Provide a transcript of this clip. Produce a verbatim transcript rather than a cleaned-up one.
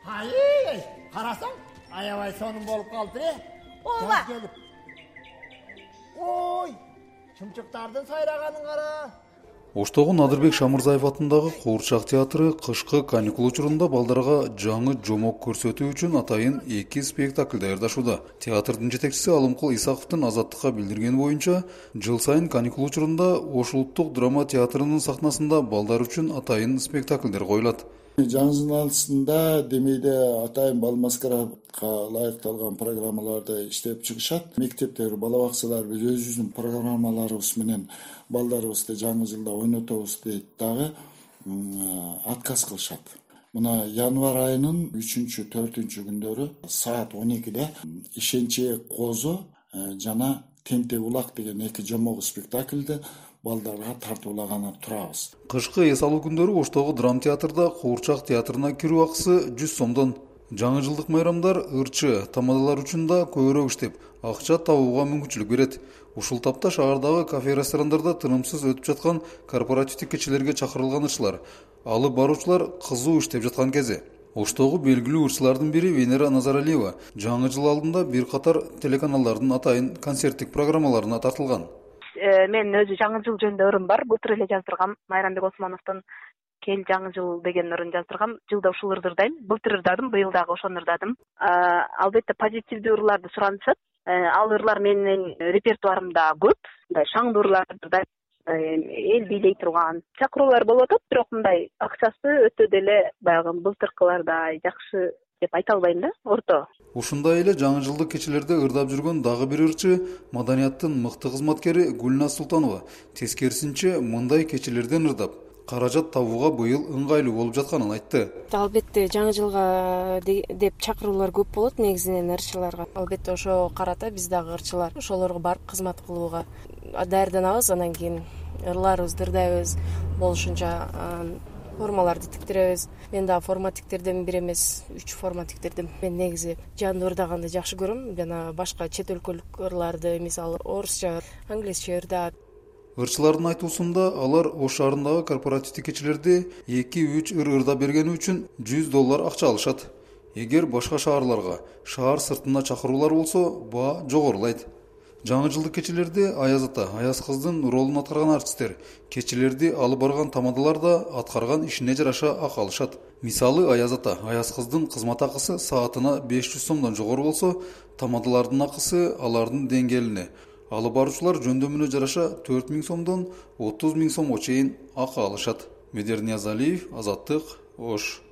Ай, карасаң, аябай сонун болуп калды э. Ооба. Ой, чымчыктардын сайраганын кара. Оштогу Надырбек Шамырзаев атындагы Куурчак театры кышкы каникул учурунда балдарга жаңы жомок көрсөтүү үчүн атайын эки спектакль даярдашууда. Театрдын жетекчиси Алымкул Исаковдун Азаттыкка билдиргени боюнча, жыл сайын каникул учурунда Ош улуттук драма театрынын сахнасында балдар үчүн атайын спектакльдер коюлат. Жаңы жыл алысында демейде атайын бал маскарадка ылайыкталган программаларды иштеп чыгышат. Мектептер, бала бакчалар биз өзүбүздүн программаларыбыз менен балдарыбызды жаңы жылда ойнотобуз дейт дагы отказ кылышат. Мына январь айынын үчүнчү, төртүнчү күндөрү саат он экиде Ишенче Козо жана Тентек улак деген эки жомок спектакльди балдарга тартуулаганы турабыз. Кышкы эс алуу күндөрү Оштогу драм театрда Куурчак театрына кирүү акысы жүз сомдон. Жаңы жылдык майрамдар ырчы тамадалар үчүн да көбүрөөк иштеп, акча табууга мүмкүнчүлүк берет. Ушул тапта шаардагы кафе-ресторандарда тынымсыз өтүп жаткан корпоративдик кечелерге чакырылган ырчылар, алып баруучулар кызуу иштеп жаткан кези. Оштогу белгилүү ырчылардын бири Венера Назаралиева жаңы жыл алдында бир катар телеканалдардын атайын концерттик программаларына тартылган. Мен өзү жаңы жыл жөнүндө ырым бар. Былтыр эле жаздыргам. Майрамбек Осмоновдун Кел жаңы жыл деген ырын жаздыргам. Жылда ушул ырды ырдайм. Былтыр ырдадым, быйыл дагы ошону ырдадым. Албетте позитивдүү ырларды суранышат. Ал ырлар менин репертуарымда көп. Мындай шаңдуу ырларды ырдайм. Эл бийлей турган чакыруулар болуп атат, бирок мындай акчасы өтө деле баягы былтыркылардай жакшы деп айта албайм да, орто. Ушундай эле жаңы жылдык кечелерде ырдап жүргөн дагы бир ырчы маданияттын мыкты кызматкери Гүлназ Султанова тескерисинче мындай кечелерден ырдап каражат табууга быйыл ыңгайлуу болуп жатканын айтты. Албетте жаңы жылга деп чакыруулар көп болот негизинен ырчыларга. Албетте ошого карата биз дагы ырчылар ошолорго барып кызмат кылууга даярданабыз. Анан кийин ырларыбызды ырдайбыз, болушунча формаларды тиктиребиз. Мен дагы форма тиктердим, бир эмес үч форма тиктирдим. Мен негизи жандуу ырдаганды жакшы көрөм. Жана башка чет өлкөлүк ырларды, мисалы орусча, англисче ырдап. Ырчылардын айтуусунда алар Ош шаарындагы корпоративдик кечелерде эки үч ыр ырдап бергени үчүн жүз доллар акча алышат. Эгер башка шаарларга, шаар сыртына чакыруулар болсо, баа жогорулайт. Жаңы жылдык кечелерде Аяз ата, Аяз кыздын ролун аткарган артисттер кечелерди алып барган тамадалар да аткарган ишине жараша акы алышат. Мисалы Аяз ата, Аяз кыздын кызмат акысы саатына беш жүз сомдон жогору болсо, тамадалардын акысы алардын деңгээлине, алып баруучулар жөндөмүнө жараша төрт миң сомдон отуз миң сомго чейин акы алышат. Медер Ниязалиев, Азаттык, Ош.